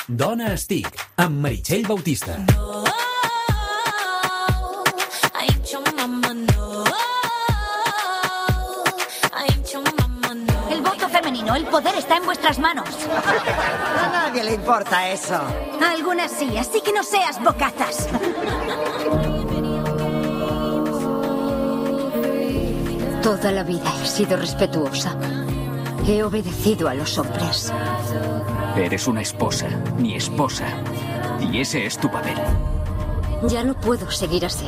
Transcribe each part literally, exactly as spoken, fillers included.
Dona Estic, amb Meritxell Bautista. El voto femenino, el poder está en vuestras manos. A nadie le importa eso. A algunas sí, así que no seas bocazas. Toda la vida he sido respetuosa. He obedecido a los hombres. Eres una esposa, mi esposa. Y ese es tu papel. Ya no puedo seguir así.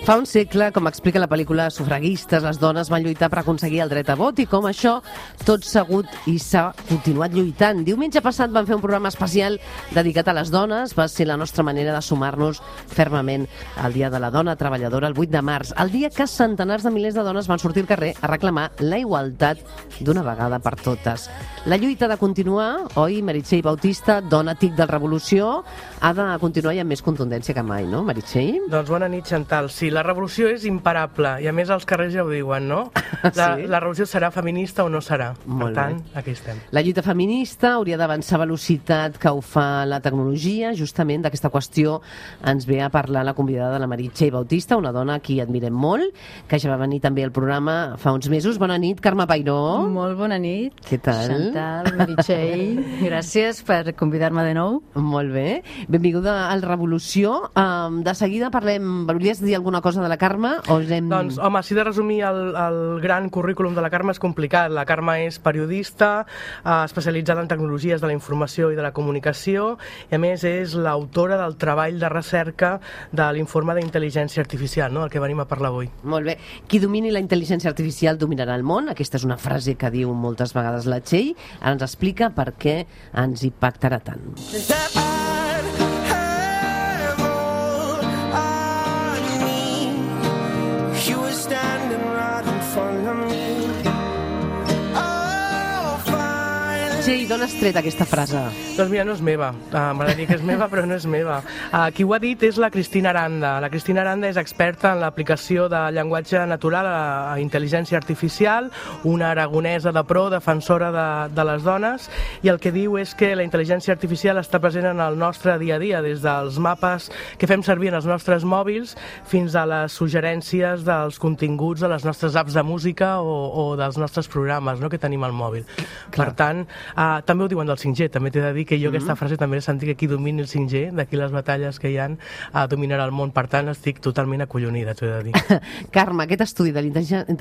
Fa un segle, com explica la pel·lícula Sufragistes, les dones van lluitar per aconseguir el dret a vot i com això tot s'ha hagut i s'ha continuat lluitant. Diumenge passat van fer un programa especial dedicat a les dones. Va ser la nostra manera de sumar-nos fermament al Dia de la Dona Treballadora, el vuit de març, el dia que centenars de milers de dones van sortir al carrer a reclamar la igualtat d'una vegada per totes. La lluita ha de continuar, oi, Meritxell Bautista, dona tic de revolució, ha de continuar i amb més contundència que mai, no, Meritxell? Doncs bona nit, Chantal. Sí, la revolució és imparable i a més els carrers ja ho diuen, no? La, Sí? la revolució serà feminista o no serà. Molt per tant, bé. aquí estem. La lluita feminista hauria d'avançar a velocitat que ho fa la tecnologia. Justament d'aquesta qüestió ens ve a parlar la convidada, la Meritxell Bautista, una dona a qui admirem molt, que ja va venir també al programa fa uns mesos. Bona nit, Carme Pairó. Molt bona nit. Què tal? Chantal, Meritxell, gràcies per convidar-me de nou. Molt bé. Benvinguda al Revolució. Um, de seguida parlem... Volies dir alguna cosa de la Carme? O anem... Doncs, home, si he de resumir el, el gran currículum de la Carme és complicat. La Carme és periodista, eh, especialitzada en tecnologies de la informació i de la comunicació, i a més és l'autora del treball de recerca de l'informe d'intel·ligència artificial, no?, el que venim a parlar avui. Molt bé. Qui domini la intel·ligència artificial dominarà el món. Aquesta és una frase que diu moltes vegades la Txell. Ara ens explica per què ens impactarà tant. Txell, d'on has tret aquesta frase? Doncs mira, no és meva. Uh, M'agradaria dir que és meva, però no és meva. Uh, qui ho ha dit és la Cristina Aranda. La Cristina Aranda és experta en l'aplicació de llenguatge natural a, a intel·ligència artificial, una aragonesa de pro, defensora de, de les dones, i el que diu és que la intel·ligència artificial està present en el nostre dia a dia, des dels mapes que fem servir en els nostres mòbils fins a les suggerències dels continguts de les nostres apps de música o, o dels nostres programes, no?, que tenim al mòbil. Clar. Per tant, Uh, també ho diuen del cinc G, també t'he de dir que jo mm -hmm. aquesta frase també he sentit que qui domini el cinc G, d'aquí les batalles que hi ha, uh, dominarà el món. Per tant, estic totalment acollonida, t'ho he de dir. Carme, aquest estudi de la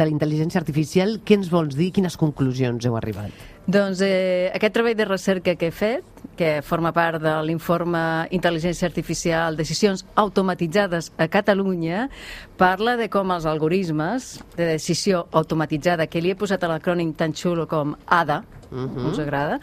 intel·ligència artificial, què ens vols dir? Quines conclusions heu arribat? Doncs eh, aquest treball de recerca que he fet, que forma part de l'informe Intel·ligència Artificial, Decisions Automatitzades a Catalunya, parla de com els algoritmes de decisió automatitzada, que li he posat a l'acrònim tan xulo com A D A, uh-huh. us agrada,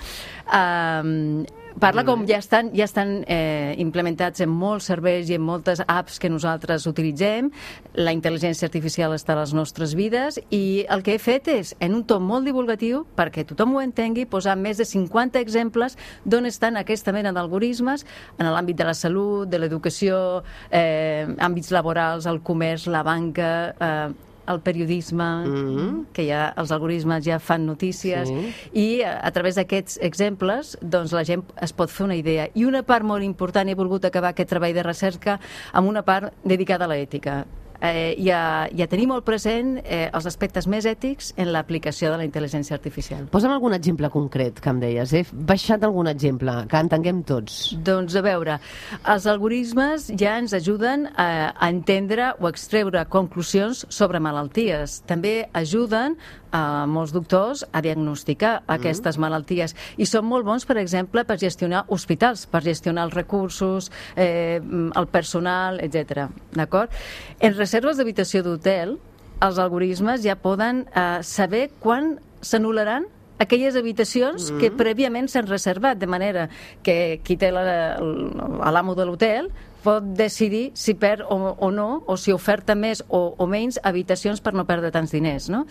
eh, parla com ja estan, ja estan eh, implementats en molts serveis i en moltes apps que nosaltres utilitzem. La intel·ligència artificial està a les nostres vides i el que he fet és, en un to molt divulgatiu, perquè tothom ho entengui, posar més de cinquanta exemples d'on estan aquesta mena d'algoritmes en l'àmbit de la salut, de l'educació, eh, àmbits laborals, el comerç, la banca, eh, el periodisme, mm-hmm. que ja els algoritmes ja fan notícies, sí. i a, a través d'aquests exemples doncs la gent es pot fer una idea. I una part molt important, he volgut acabar aquest treball de recerca amb una part dedicada a l'ètica. Eh, ja, ja tenim molt present eh, els aspectes més ètics en l'aplicació de la intel·ligència artificial. Posa'm algun exemple concret, que em deies. He baixat algun exemple, que entenguem tots. Doncs a veure, els algoritmes ja ens ajuden a, a entendre o extreure conclusions sobre malalties. També ajuden a molts doctors a diagnosticar mm. aquestes malalties i són molt bons, per exemple, per gestionar hospitals, per gestionar els recursos, eh, el personal, etcètera. D'acord? En reserves d'habitació d'hotel, els algoritmes ja poden eh, saber quan s'anul·laran aquelles habitacions mm. que prèviament s'han reservat, de manera que qui té l'amo de l'hotel pot decidir si perd o, o no, o si oferta més o, o menys habitacions per no perdre tants diners, no?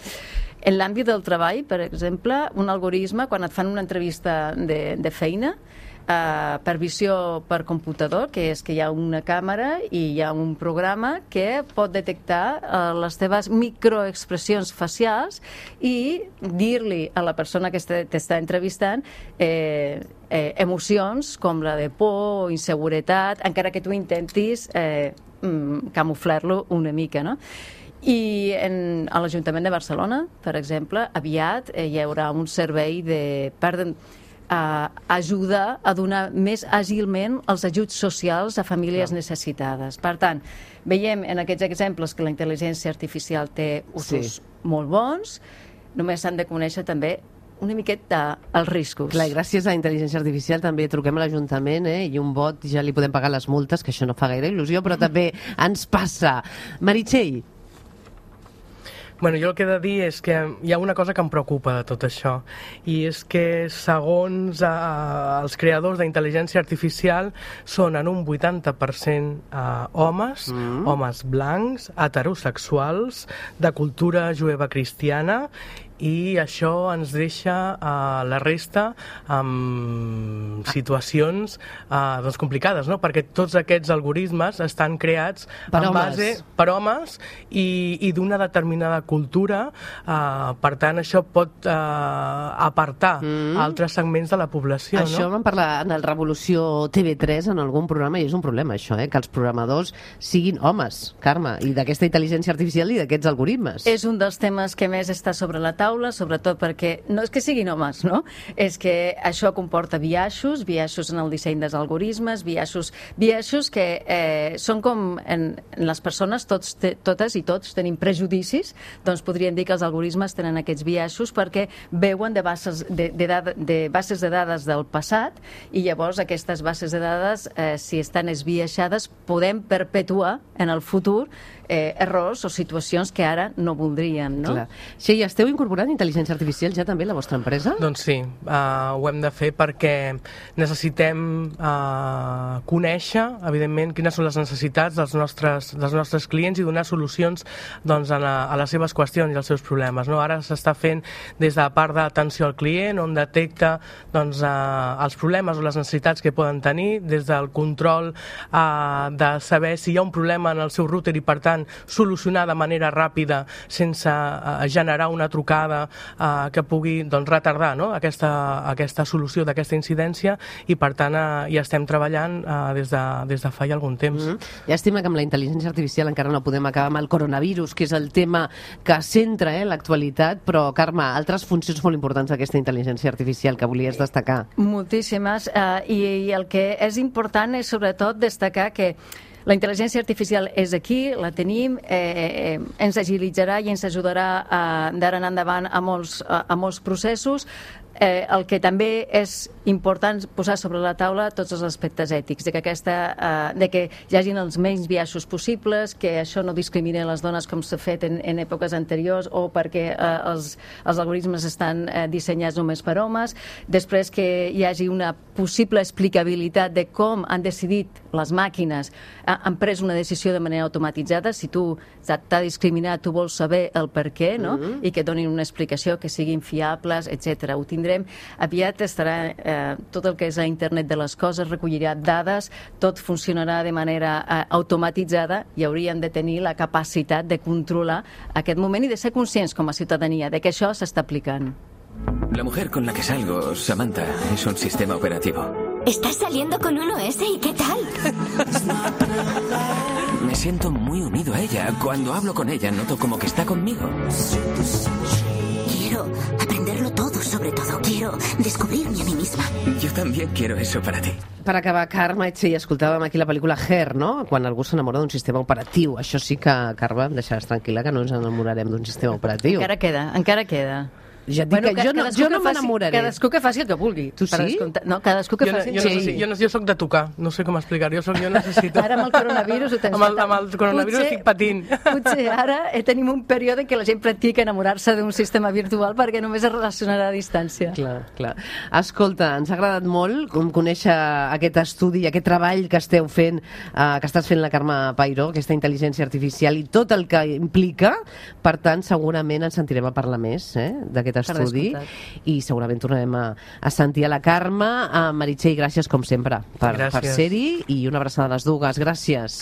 En l'àmbit del treball, per exemple, un algoritme, quan et fan una entrevista de, de feina, uh, per visió per computador, que és que hi ha una càmera i hi ha un programa que pot detectar uh, les teves microexpressions facials i dir-li a la persona que t'està entrevistant eh, eh, emocions com la de por o inseguretat, encara que tu intentis eh, camuflar-lo una mica, no? I en, a l'Ajuntament de Barcelona, per exemple, aviat eh, hi haurà un servei de, per uh, ajudar a donar més àgilment els ajuts socials a famílies no. necessitades. Per tant, veiem en aquests exemples que la intel·ligència artificial té usos sí. molt bons, només s'han de conèixer també una miqueta els riscos. Clar, gràcies a la intel·ligència artificial també truquem a l'Ajuntament eh, i un vot ja li podem pagar les multes, que això no fa gaire il·lusió, però també ens passa. Meritxell. Bueno, jo el que he de dir és que hi ha una cosa que em preocupa de tot això, i és que segons eh, els creadors d'intel·ligència artificial són en un vuitanta per cent eh, homes, mm. homes blancs, heterosexuals, de cultura jueva cristiana, i això ens deixa uh, la resta amb situacions uh, doncs complicades, no? Perquè tots aquests algoritmes estan creats per en homes. base per homes i, i d'una determinada cultura, uh, per tant això pot uh, apartar mm. altres segments de la població. Això no? vam parlar en el Revolució T V tres en algun programa i és un problema això, eh? Que els programadors siguin homes, Carme, i d'aquesta intel·ligència artificial i d'aquests algoritmes. És un dels temes que més està sobre la taula, sobretot perquè no és que siguin homes, no? És que això comporta biaixos, biaixos en el disseny dels algoritmes, biaixos, biaixos que eh, són com en, en les persones, tots, te, totes i tots tenim prejudicis, doncs podríem dir que els algoritmes tenen aquests biaixos perquè veuen de bases de, de, dada, de bases de dades del passat i llavors aquestes bases de dades, eh, si estan esbiaixades, podem perpetuar en el futur eh, errors o situacions que ara no voldríem, no? Clar. Sí, esteu incorporant intel·ligència artificial ja també a la vostra empresa? Doncs sí, uh, ho hem de fer perquè necessitem uh, conèixer, evidentment, quines són les necessitats dels nostres, dels nostres clients i donar solucions doncs, a, la, a les seves qüestions i als seus problemes. No? Ara s'està fent des de la part d'atenció al client, on detecta doncs, uh, els problemes o les necessitats que poden tenir, des del control uh, de saber si hi ha un problema en el seu router i, per tant, solucionar de manera ràpida sense uh, generar una trucada uh, que pugui doncs, retardar no? aquesta, aquesta solució d'aquesta incidència i per tant uh, hi estem treballant uh, des, de, des de fa ja algun temps. Mm-hmm. Llàstima que amb la intel·ligència artificial encara no podem acabar amb el coronavirus, que és el tema que centra eh, l'actualitat, però Carme, altres funcions molt importants d'aquesta intel·ligència artificial que volies destacar. Moltíssimes, uh, i, i el que és important és sobretot destacar que la intel·ligència artificial és aquí, la tenim, eh, eh, ens agilitzarà i ens ajudarà eh, d'ara en endavant a molts, a, a molts processos. Eh, el que també és important posar sobre la taula tots els aspectes ètics, de que, aquesta, eh, de que hi hagin els menys biaixos possibles, que això no discrimini les dones com s'ha fet en, en èpoques anteriors o perquè eh, els, els algoritmes estan eh, dissenyats només per homes. Després que hi hagi una possible explicabilitat de com han decidit les màquines, eh, han pres una decisió de manera automatitzada. Si tu t'ha discriminat, tu vols saber el per què, no? Mm-hmm. I que donin una explicació, que siguin fiables, etcètera. Ho tindrem. Aviat estarà eh, tot el que és a internet de les coses, recollirà dades, tot funcionarà de manera eh, automatitzada i hauríem de tenir la capacitat de controlar aquest moment i de ser conscients com a ciutadania de que això s'està aplicant. La mujer con la que salgo, Samantha, es un sistema operativo. ¿Estás saliendo con un O S y qué tal? Me siento muy unido a ella. Cuando hablo con ella, noto como que está conmigo. Quiero aprenderlo todo, sobre todo. Quiero descubrirme a mí misma. Yo también quiero eso para ti. Per acabar, Carme, sí, escoltàvem aquí la pel·lícula Her, no? Quan algú s'enamora d'un sistema operatiu. Això sí que, Carme, em deixaràs tranquil·la que no ens enamorarem d'un sistema operatiu. Encara queda, encara queda. Ja et dic bueno, que jo no, jo no m'enamoraré. Cadascú que faci el que vulgui. Tu sí? No, cadascú que jo, faci... Jo, no, sí. jo, no, jo soc de tocar, no sé com explicar. Jo, soc, jo necessito... Ara amb el coronavirus ho tens... Amb el, amb el coronavirus potser, estic patint. Potser ara tenim un període en què la gent practica enamorar-se d'un sistema virtual perquè només es relacionarà a distància. Clar, clar. Escolta, ens ha agradat molt conèixer aquest estudi, aquest treball que esteu fent, eh, que estàs fent la Carme Peiró, aquesta intel·ligència artificial i tot el que implica. Per tant, segurament ens sentirem a parlar més eh, d'aquest aquest estudi i segurament tornarem a, a sentir a la Carme. A Meritxell, gràcies com sempre per, per ser-hi i una abraçada a les dues. Gràcies.